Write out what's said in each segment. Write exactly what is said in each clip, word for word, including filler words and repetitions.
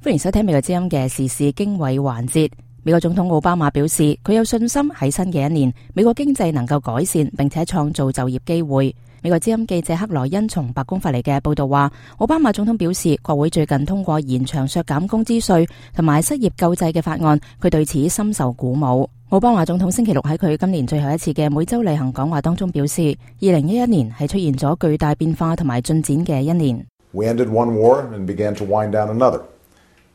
歡迎收聽美國之音嘅時事經緯環節。美國總統奧巴馬表示，佢有信心喺新嘅一年，美國經濟能夠改善，並且創造就業機會。美國之音記者克萊恩從白宮發嚟嘅報道話，奧巴馬總統表示，國會最近通過延長削減工資稅同埋失業救濟嘅法案，佢對此深受鼓舞。奧巴馬總統星期六喺佢今年最後一次嘅每周例行講話當中表示，二零一一年係出現咗巨大變化同埋進展嘅一年。We ended one war and began to wind down another.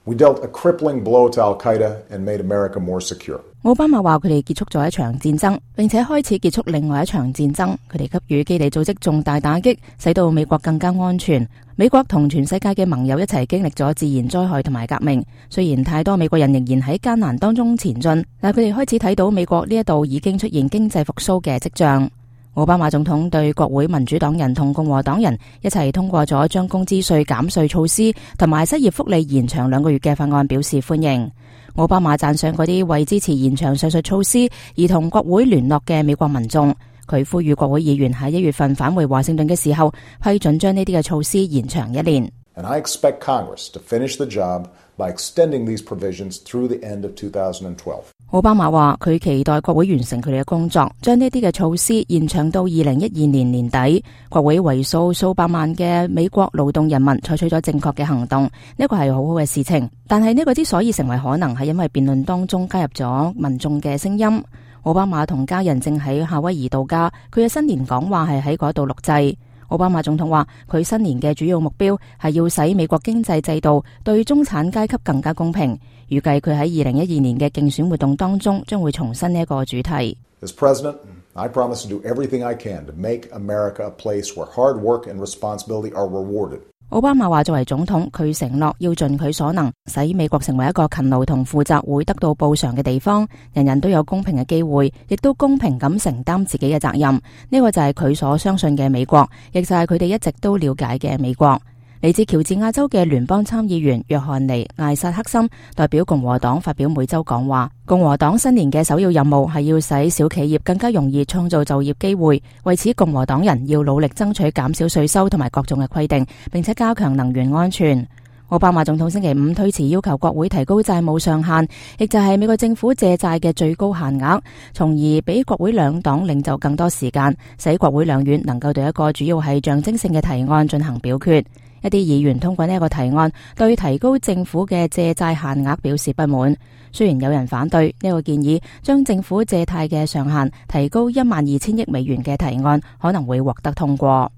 We dealt a crippling blow to Al-Qaeda and made America more secure. 奧巴馬話佢哋結束咗一場戰爭，並且開始結束另外一場戰爭。佢哋給予基地組織重大打擊，使到美國更加安全。美國同全世界嘅盟友一齊經歷咗自然災害同埋革命。雖然太多美國人仍然喺艱難當中前進，但佢哋開始睇到美國呢一度已經出現經濟復甦嘅跡象。奧巴馬總統對國會民主黨人同共和黨人一齊通過咗將工資稅減稅措施同埋失業福利延長兩個月嘅法案表示歡迎。奧巴馬讚賞嗰啲為支持延長上述措施而同國會聯絡嘅美國民眾。佢呼籲國會議員喺一月份返回華盛頓嘅時候批准將呢啲嘅措施延長一年。And I expect Congress to finish the job by extending these provisions through the end of two thousand twelve. 奧巴馬話佢期待國會完成佢哋嘅工作，將呢啲嘅措施延長到二零一二年年底。國會為數數百萬嘅美國勞動人民採取咗正確嘅行動，呢個係好好嘅事情。但係呢個之所以成為可能，係因為辯論當中加入咗民眾嘅聲音。奧巴馬同家人正喺夏威夷度假，佢嘅新年講話係喺嗰度錄製。奧巴馬總統話佢新年嘅主要目標係要使美國經濟制度對中產階級更加公平。預計佢喺二零一二年嘅競選活動當中將會重申呢一個主題。As President, I promise to do everything I can to make America a place where hard work and responsibility are rewarded. 奧巴馬話作為總統，佢承諾要盡佢所能，使美國成為一個勤勞同負責會得到報償嘅地方，人人都有公平嘅機會，亦都公平咁承擔自己嘅責任。呢個就係佢所相信嘅美國，亦就係佢哋一直都了解嘅美國。嚟自喬治亞州嘅聯邦參議員約翰尼艾薩克森代表共和黨發表每周講話。共和黨新年嘅首要任務係要使小企業更加容易創造就業機會，為此共和黨人要努力爭取減少稅收同埋各種嘅規定，並且加強能源安全。奧巴馬總統星期五推遲要求國會提高債務上限，亦就係美國政府借債嘅最高限額，從而俾國會兩黨領袖更多時間，使國會兩院能夠對一個主要係象徵性嘅提案進行表決。一啲議員通過呢一個提案，對提高政府嘅借債限額表示不滿。雖然有人反對呢個建議，將政府借貸嘅上限提高一萬二千億美元嘅提案可能會獲得通過。